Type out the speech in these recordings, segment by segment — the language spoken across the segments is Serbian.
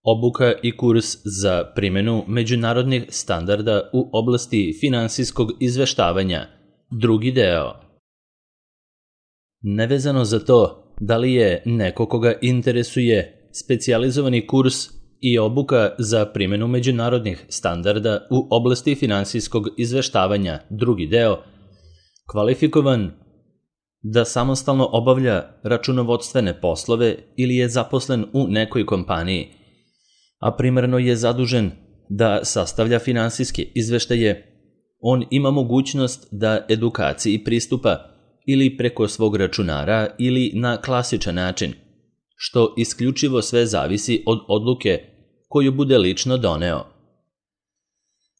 Obuka i kurs za primjenu međunarodnih standarda u oblasti finansijskog izveštavanja. Drugi deo. Nevezano za to da li je neko koga interesuje specijalizovani kurs i obuka za primjenu međunarodnih standarda u oblasti finansijskog izveštavanja, drugi deo, kvalifikovan da samostalno obavlja računovodstvene poslove ili je zaposlen u nekoj kompaniji, a primarno je zadužen da sastavlja finansijske izveštaje, on ima mogućnost da edukaciji pristupa ili preko svog računara ili na klasičan način, što isključivo sve zavisi od odluke koju bude lično doneo.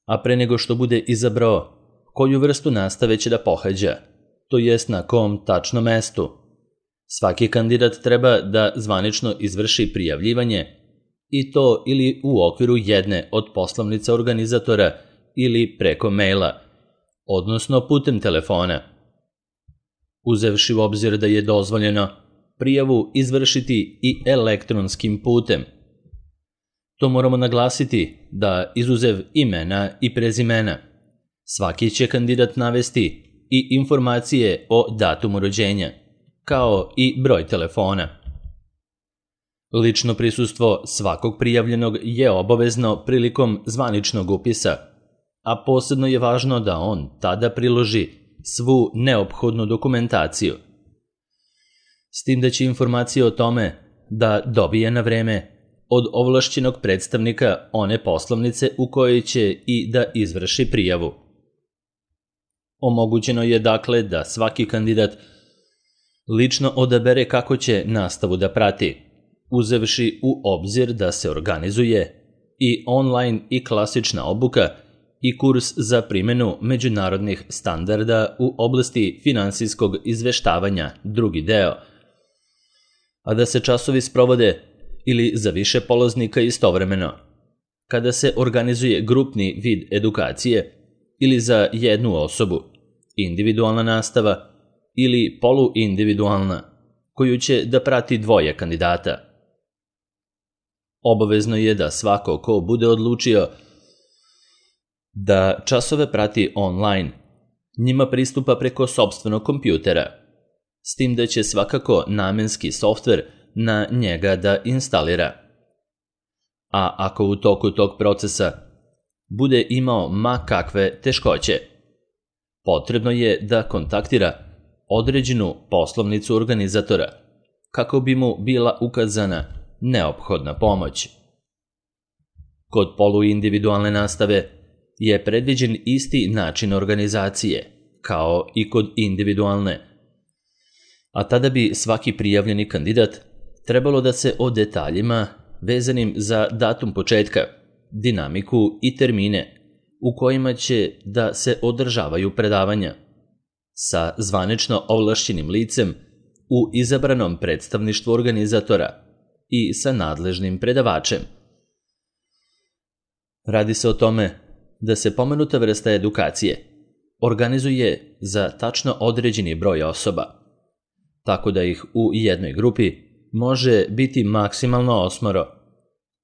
A pre nego što bude izabrao koju vrstu nastave će da pohađa, to jest na kom tačno mestu, svaki kandidat treba da zvanično izvrši prijavljivanje i to ili u okviru jedne od poslovnica organizatora ili preko maila, odnosno putem telefona. Uzevši u obzir da je dozvoljeno prijavu izvršiti i elektronskim putem. To moramo naglasiti da izuzev imena i prezimena, svaki će kandidat navesti i informacije o datumu rođenja, kao i broj telefona. Lično prisustvo svakog prijavljenog je obavezno prilikom zvaničnog upisa, a posebno je važno da on tada priloži svu neophodnu dokumentaciju. S tim da će informacije o tome da dobije na vreme od ovlašćenog predstavnika one poslovnice u kojoj će i da izvrši prijavu. Omogućeno je dakle da svaki kandidat lično odabere kako će nastavu da prati, uzevši u obzir da se organizuje i online i klasična obuka i kurs za primjenu međunarodnih standarda u oblasti finansijskog izveštavanja, drugi deo, a da se časovi sprovode ili za više polaznika istovremeno, kada se organizuje grupni vid edukacije ili za jednu osobu, individualna nastava ili poluindividualna, koju će da prati dvoje kandidata. Obavezno je da svako ko bude odlučio da časove prati online, njima pristupa preko sopstvenog kompjutera, s tim da će svakako namenski softver na njega da instalira. A ako u toku tog procesa bude imao ma kakve teškoće, potrebno je da kontaktira određenu poslovnicu organizatora kako bi mu bila ukazana neophodna pomoć. Kod poluindividualne nastave je predviđen isti način organizacije kao i kod individualne, a tada bi svaki prijavljeni kandidat trebalo da se o detaljima vezanim za datum početka, dinamiku i termine u kojima će da se održavaju predavanja sa zvanično ovlašćenim licem u izabranom predstavništvu organizatora i sa nadležnim predavačem. Radi se o tome da se pomenuta vrsta edukacije organizuje za tačno određeni broj osoba, tako da ih u jednoj grupi može biti maksimalno 8,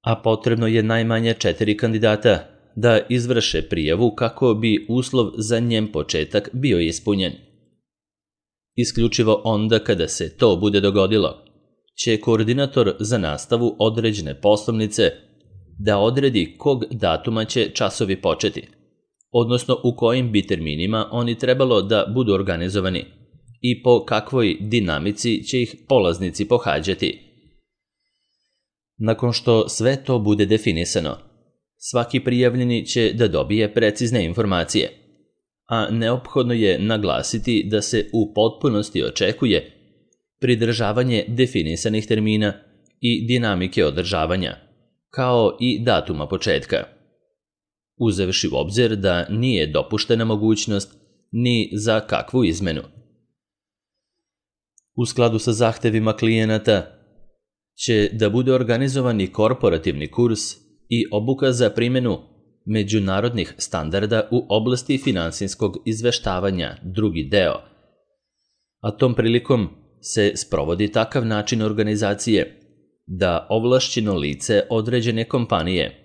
a potrebno je najmanje 4 kandidata da izvrše prijavu kako bi uslov za njen početak bio ispunjen. Isključivo onda kada se to bude dogodilo, će koordinator za nastavu određene poslovnice da odredi kog datuma će časovi početi, odnosno u kojim bi terminima oni trebalo da budu organizovani i po kakvoj dinamici će ih polaznici pohađati. Nakon što sve to bude definisano, svaki prijavljeni će da dobije precizne informacije, a neophodno je naglasiti da se u potpunosti očekuje pridržavanje definisanih termina i dinamike održavanja, kao i datuma početka, uzevši u obzir da nije dopuštena mogućnost ni za kakvu izmenu. U skladu sa zahtevima klijenata će da bude organizovan i korporativni kurs i obuka za primjenu međunarodnih standarda u oblasti finansijskog izveštavanja, drugi deo, a tom prilikom se sprovodi takav način organizacije da ovlašćeno lice određene kompanije,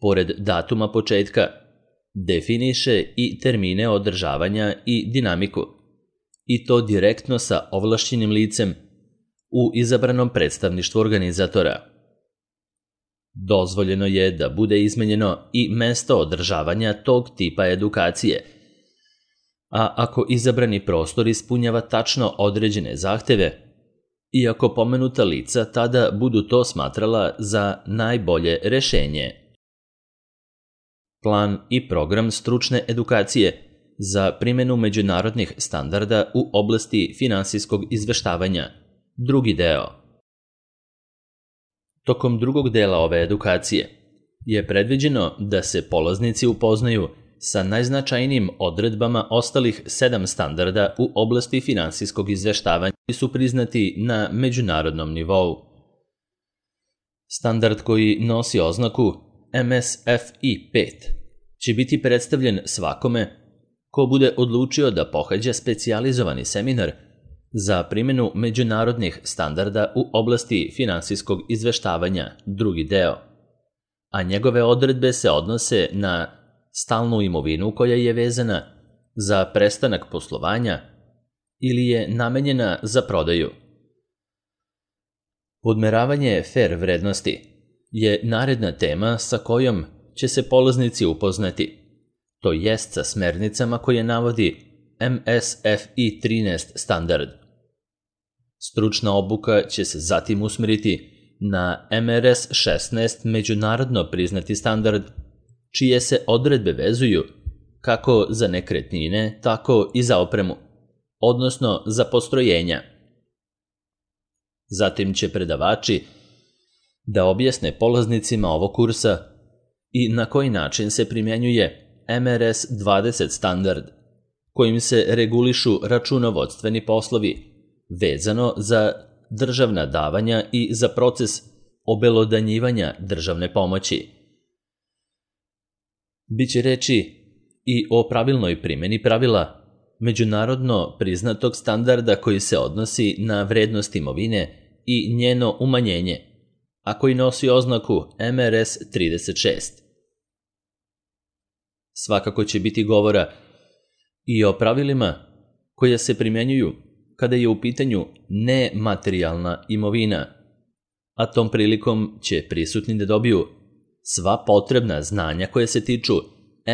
pored datuma početka, definiše i termine održavanja i dinamiku, i to direktno sa ovlašćenim licem u izabranom predstavništvu organizatora. Dozvoljeno je da bude izmenjeno i mesto održavanja tog tipa edukacije, a ako izabrani prostor ispunjava tačno određene zahteve, i ako pomenuta lica tada budu to smatrala za najbolje rešenje. Plan i program stručne edukacije za primjenu međunarodnih standarda u oblasti finansijskog izveštavanja. Drugi deo. Tokom drugog dela ove edukacije je predviđeno da se polaznici upoznaju sa najznačajnijim odredbama ostalih 7 standarda u oblasti finansijskog izveštavanja koji su priznati na međunarodnom nivou. Standard koji nosi oznaku MSFI 5 će biti predstavljen svakome ko bude odlučio da pohađa specijalizovani seminar za primjenu međunarodnih standarda u oblasti finansijskog izveštavanja, drugi deo, a njegove odredbe se odnose na stalnu imovinu koja je vezana za prestanak poslovanja ili je namenjena za prodaju. Odmeravanje fer vrednosti je naredna tema sa kojom će se polaznici upoznati, to jest sa smernicama koje navodi MSFI 13 standard. Stručna obuka će se zatim usmeriti na MRS 16 međunarodno priznati standard, čije se odredbe vezuju kako za nekretnine, tako i za opremu, odnosno za postrojenja. Zatim će predavači da objasne polaznicima ovog kursa i na koji način se primjenjuje MRS 20 standard, kojim se regulišu računovodstveni poslovi, vezano za državna davanja i za proces obelodanjivanja državne pomoći. Biće reči i o pravilnoj primjeni pravila međunarodno priznatog standarda koji se odnosi na vrednost imovine i njeno umanjenje, a koji nosi oznaku MRS 36. Svakako će biti govora i o pravilima koja se primjenjuju kada je u pitanju nematerijalna imovina, a tom prilikom će prisutni da dobiju sva potrebna znanja koje se tiču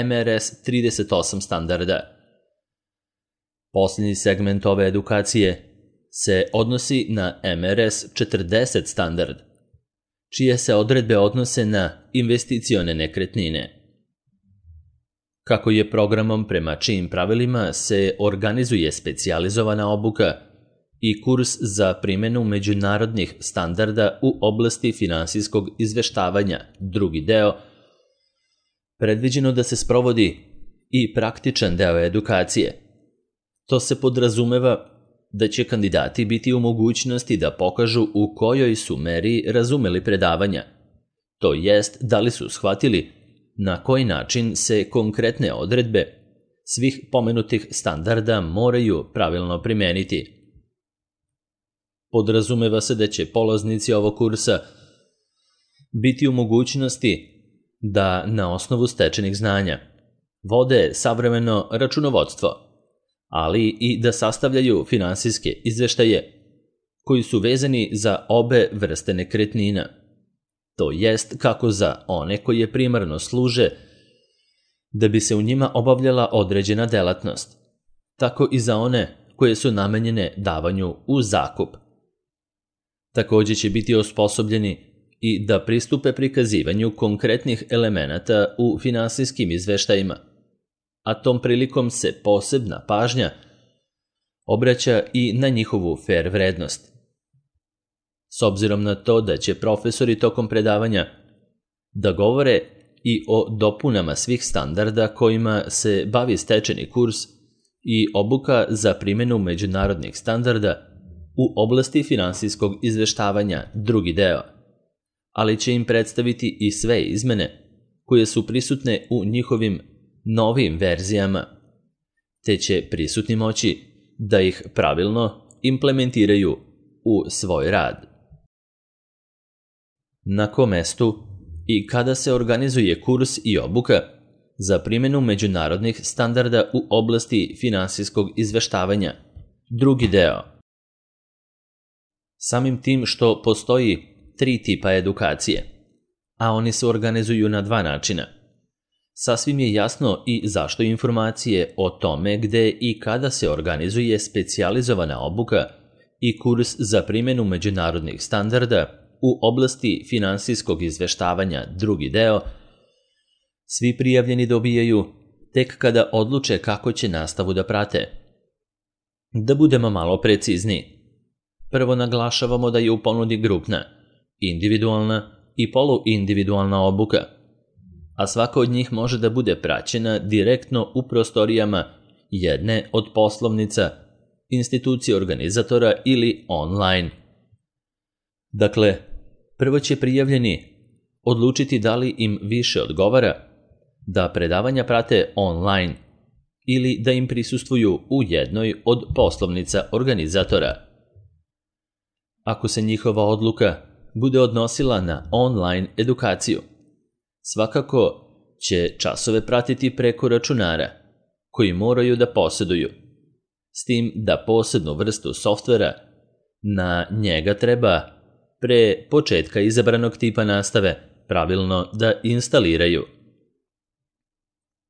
MRS 38 standarda. Posljednji segment ove edukacije se odnosi na MRS 40 standard, čije se odredbe odnose na investicione nekretnine. Kako je programom prema čijim pravilima se organizuje specijalizovana obuka i kurs za primjenu međunarodnih standarda u oblasti finansijskog izveštavanja, drugi deo, predviđeno da se sprovodi i praktičan deo edukacije. To se podrazumeva da će kandidati biti u mogućnosti da pokažu u kojoj su meri razumeli predavanja, to jest da li su shvatili na koji način se konkretne odredbe svih pomenutih standarda moraju pravilno primeniti. Podrazumeva se da će polaznici ovog kursa biti u mogućnosti da na osnovu stečenih znanja vode savremeno računovodstvo, ali i da sastavljaju finansijske izveštaje koji su vezani za obe vrste nekretnina, to jest kako za one koje primarno služe da bi se u njima obavljala određena delatnost, tako i za one koje su namenjene davanju u zakup. Također će biti osposobljeni i da pristupe prikazivanju konkretnih elemenata u finansijskim izveštajima, a tom prilikom se posebna pažnja obraća i na njihovu fer vrednost. S obzirom na to da će profesori tokom predavanja da govore i o dopunama svih standarda kojima se bavi stečeni kurs i obuka za primjenu međunarodnih standarda u oblasti finansijskog izveštavanja, drugi deo, ali će im predstaviti i sve izmene koje su prisutne u njihovim novim verzijama, te će prisutni moći da ih pravilno implementiraju u svoj rad. na kom mestu i kada se organizuje kurs i obuka za primjenu međunarodnih standarda u oblasti finansijskog izveštavanja. Drugi deo. Samim tim što postoji 3 tipa edukacije, a oni se organizuju na 2 načina, sasvim je jasno i zašto informacije o tome gde i kada se organizuje specijalizovana obuka i kurs za primjenu međunarodnih standarda u oblasti finansijskog izveštavanja. Drugi deo. Svi prijavljeni dobijaju tek kada odluče kako će nastavu da prate. Da budemo malo precizniji. Prvo naglašavamo da je u ponudi grupna, individualna i poluindividualna obuka, a svaka od njih može da bude praćena direktno u prostorijama jedne od poslovnica, institucije organizatora ili online. Dakle, prvo će prijavljeni odlučiti da li im više odgovara da predavanja prate online ili da im prisustvuju u jednoj od poslovnica organizatora. Ako se njihova odluka bude odnosila na online edukaciju, svakako će časove pratiti preko računara koji moraju da posjeduju, s tim da posebnu vrstu softvera na njega treba pre početka izabranog tipa nastave pravilno da instaliraju.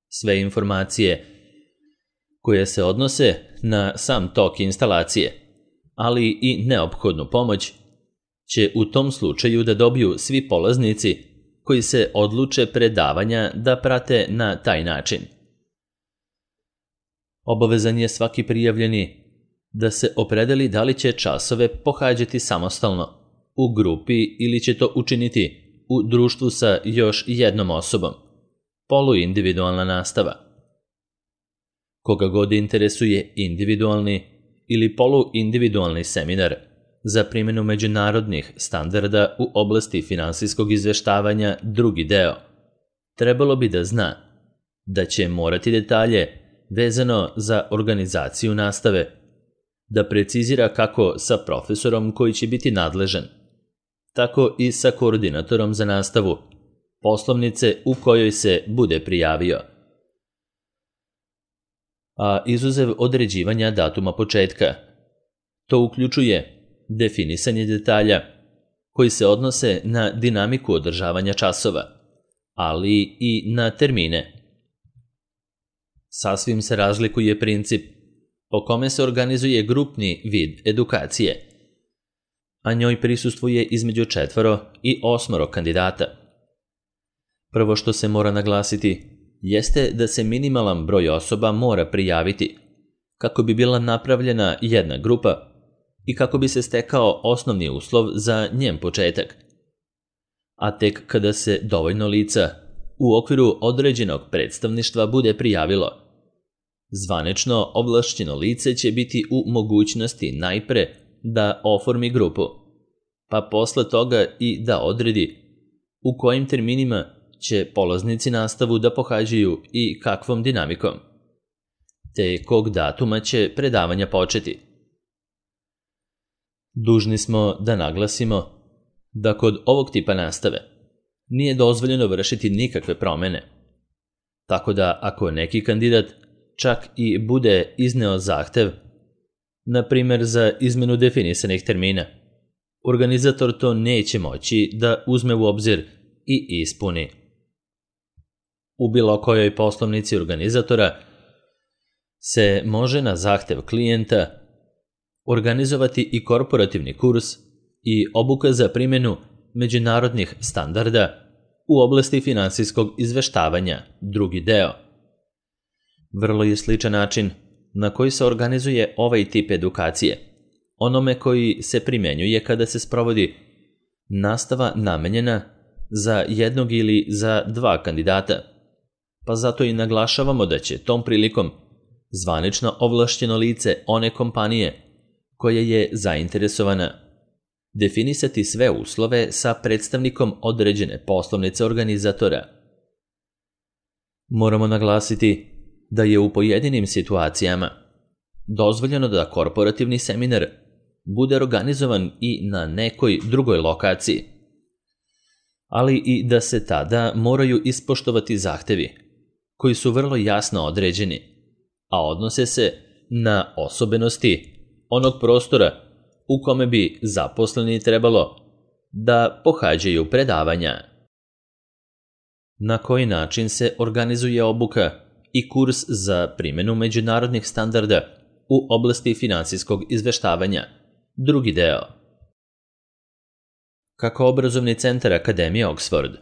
Sve informacije koje se odnose na sam tok instalacije, ali i neophodnu pomoć, će u tom slučaju da dobiju svi polaznici koji se odluče predavanja da prate na taj način. Obavezan je svaki prijavljeni da se opredeli da li će časove pohađati samostalno, u grupi ili će to učiniti u društvu sa još jednom osobom, poluindividualna nastava. Koga god interesuje individualni ili poluindividualni seminar za primjenu međunarodnih standarda u oblasti finansijskog izveštavanja, drugi deo, trebalo bi da zna da će morati detalje vezano za organizaciju nastave da precizira kako sa profesorom koji će biti nadležan, tako i sa koordinatorom za nastavu, poslovnice u kojoj se bude prijavio. A izuzev određivanja datuma početka, to uključuje definisanje detalja koji se odnose na dinamiku održavanja časova, ali i na termine. Sasvim se razlikuje princip po kome se organizuje grupni vid edukacije, a njoj prisustvuje između 4 i 8 kandidata. Prvo što se mora naglasiti jeste da se minimalan broj osoba mora prijaviti kako bi bila napravljena jedna grupa i kako bi se stekao osnovni uslov za njen početak. A tek kada se dovoljno lica u okviru određenog predstavništva bude prijavilo, zvanično ovlašćeno lice će biti u mogućnosti najpre da oformi grupu, pa posle toga i da odredi u kojim terminima će polaznici nastavu da pohađaju i kakvom dinamikom, te kog datuma će predavanja početi. Dužni smo da naglasimo da kod ovog tipa nastave nije dozvoljeno vršiti nikakve promene, tako da ako neki kandidat čak i bude izneo zahtev, na primjer za izmenu definisanih termina, organizator to neće moći da uzme u obzir i ispuni. U bilo kojoj poslovnici organizatora se može na zahtev klijenta organizovati i korporativni kurs i obuka za primjenu međunarodnih standarda u oblasti finansijskog izveštavanja, drugi deo. Vrlo je sličan način na koji se organizuje ovaj tip edukacije, onome koji se primjenjuje kada se sprovodi nastava namenjena za jednog ili za 2 kandidata, pa zato i naglašavamo da će tom prilikom zvanično ovlašćeno lice one kompanije koja je zainteresovana definisati sve uslove sa predstavnikom određene poslovnice organizatora. Moramo naglasiti da je u pojedinim situacijama dozvoljeno da korporativni seminar bude organizovan i na nekoj drugoj lokaciji. ali i da se tada moraju ispoštovati zahtevi, koji su vrlo jasno određeni, a odnose se na osobenosti onog prostora u kome bi zaposleni trebalo da pohađaju predavanja. Na koji način se organizuje obuka i kurs za primjenu međunarodnih standarda u oblasti finansijskog izveštavanja? Drugi deo. Kako obrazovni centar Akademije Oxford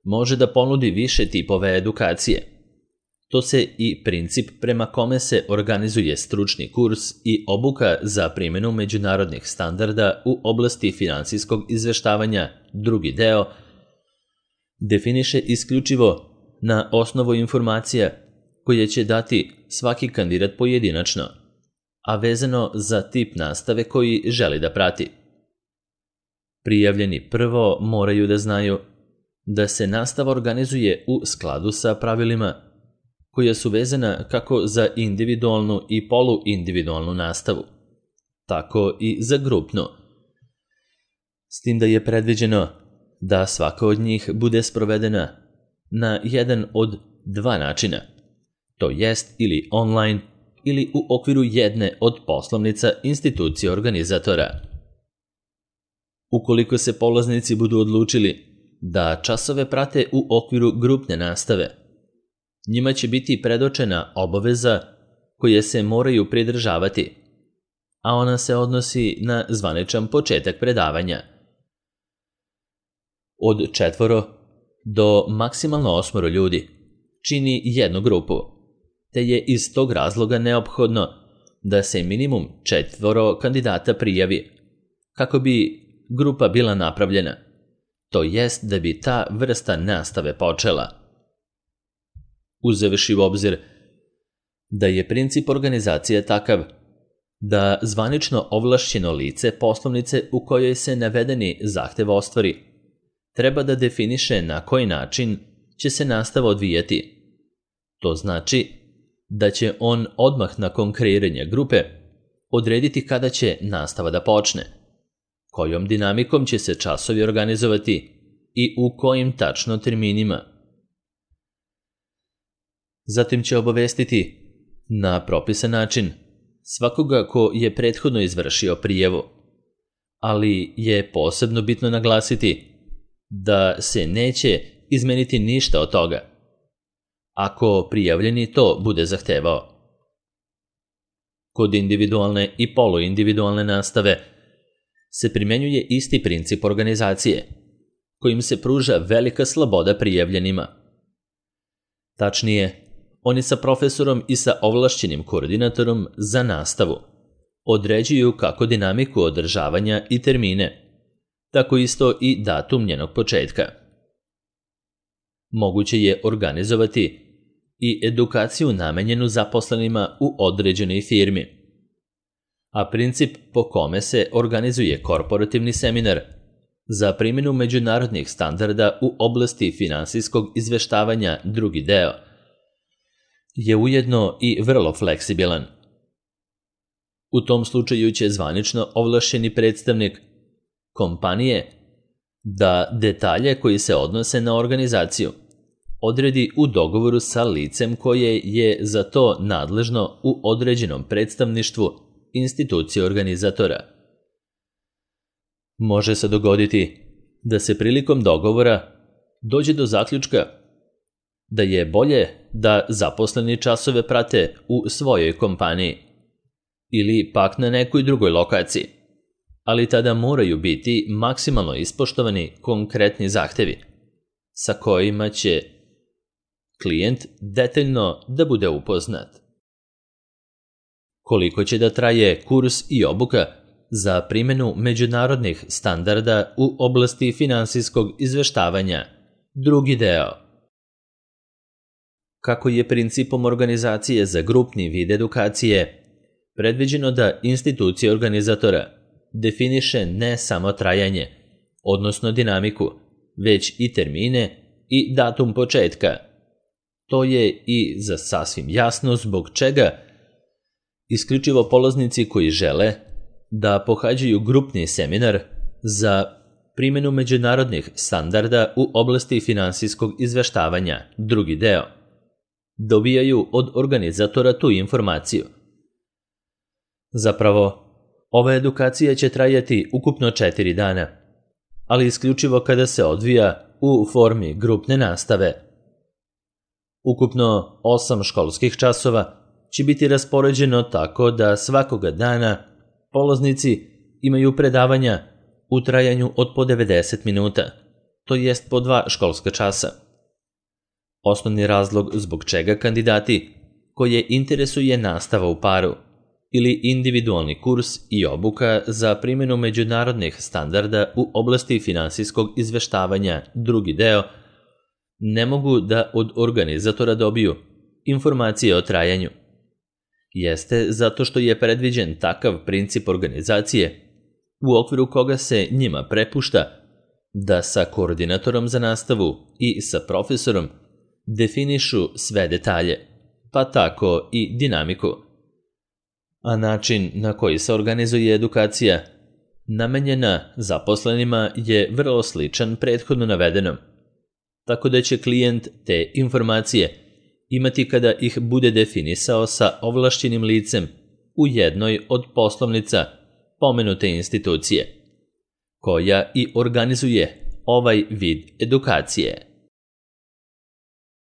može da ponudi više tipove edukacije? To se i princip prema kome se organizuje stručni kurs i obuka za primjenu međunarodnih standarda u oblasti finansijskog izveštavanja, drugi deo, definiše isključivo na osnovu informacija koje će dati svaki kandidat pojedinačno, a vezano za tip nastave koji želi da prati. Prijavljeni prvo moraju da znaju da se nastava organizuje u skladu sa pravilima koja su vezana kako za individualnu i poluindividualnu nastavu, tako i za grupnu. S tim da je predviđeno da svaka od njih bude sprovedena na jedan od dva načina, to jest ili online ili u okviru jedne od poslovnica institucije organizatora. Ukoliko se polaznici budu odlučili da časove prate u okviru grupne nastave, njima će biti predočena obaveza koje se moraju pridržavati, a ona se odnosi na zvaničan početak predavanja. Od 4 do maksimalno 8 ljudi čini jednu grupu, te je iz tog razloga neophodno da se minimum 4 kandidata prijavi, kako bi grupa bila napravljena, to jest da bi ta vrsta nastave počela. Uzevši u obzir da je princip organizacije takav da zvanično ovlašćeno lice poslovnice u kojoj se navedeni zahtev ostvari treba da definiše na koji način će se nastava odvijati. To znači da će on odmah nakon kreiranja grupe odrediti kada će nastava da počne, kojom dinamikom će se časovi organizovati i u kojim tačno terminima. Zatim će obavestiti na propisan način svakoga ko je prethodno izvršio prijavu, ali je posebno bitno naglasiti da se neće izmeniti ništa od toga, ako prijavljeni to bude zahtevao. Kod individualne i poluindividualne nastave se primjenjuje isti princip organizacije, kojim se pruža velika sloboda prijavljenima. Tačnije, oni sa profesorom i sa ovlašćenim koordinatorom za nastavu određuju kako dinamiku održavanja i termine, tako isto i datum njenog početka. Moguće je organizovati i edukaciju namenjenu zaposlenima u određenoj firmi, a princip po kome se organizuje korporativni seminar za primjenu međunarodnih standarda u oblasti finansijskog izveštavanja, drugi deo, je ujedno i vrlo fleksibilan. U tom slučaju će zvanično ovlašćeni predstavnik kompanije da detalje koji se odnose na organizaciju odredi u dogovoru sa licem koje je za to nadležno u određenom predstavništvu institucije organizatora. Može se dogoditi da se prilikom dogovora dođe do zaključka da je bolje da zaposleni časove prate u svojoj kompaniji ili pak na nekoj drugoj lokaciji, ali tada moraju biti maksimalno ispoštovani konkretni zahtevi sa kojima će klijent detaljno da bude upoznat. Koliko će da traje kurs i obuka za primjenu međunarodnih standarda u oblasti finansijskog izveštavanja, drugi deo. Kako je principom organizacije za grupni vid edukacije predviđeno da institucija organizatora definiše ne samo trajanje, odnosno dinamiku, već i termine i datum početka. To je i za sasvim jasno zbog čega isključivo polaznici koji žele da pohađaju grupni seminar za primjenu međunarodnih standarda u oblasti finansijskog izveštavanja, drugi deo. Dobijaju od organizatora tu informaciju. Zapravo, ova edukacija će trajati ukupno 4 dana, ali isključivo kada se odvija u formi grupne nastave. Ukupno 8 školskih časova će biti raspoređeno tako da svakoga dana polaznici imaju predavanja u trajanju od po 90 minuta, to jest po 2 školska časa. Osnovni razlog zbog čega kandidati koje interesuje nastava u paru ili individualni kurs i obuka za primjenu međunarodnih standarda u oblasti finansijskog izveštavanja, drugi deo, ne mogu da od organizatora dobiju informacije o trajanju. Jeste zato što je predviđen takav princip organizacije u okviru koga se njima prepušta da sa koordinatorom za nastavu i sa profesorom definišu sve detalje, pa tako i dinamiku. A način na koji se organizuje edukacija namenjena zaposlenima je vrlo sličan prethodno navedenom, tako da će klijent te informacije imati kada ih bude definisao sa ovlašćenim licem u jednoj od poslovnica pomenute institucije, koja i organizuje ovaj vid edukacije.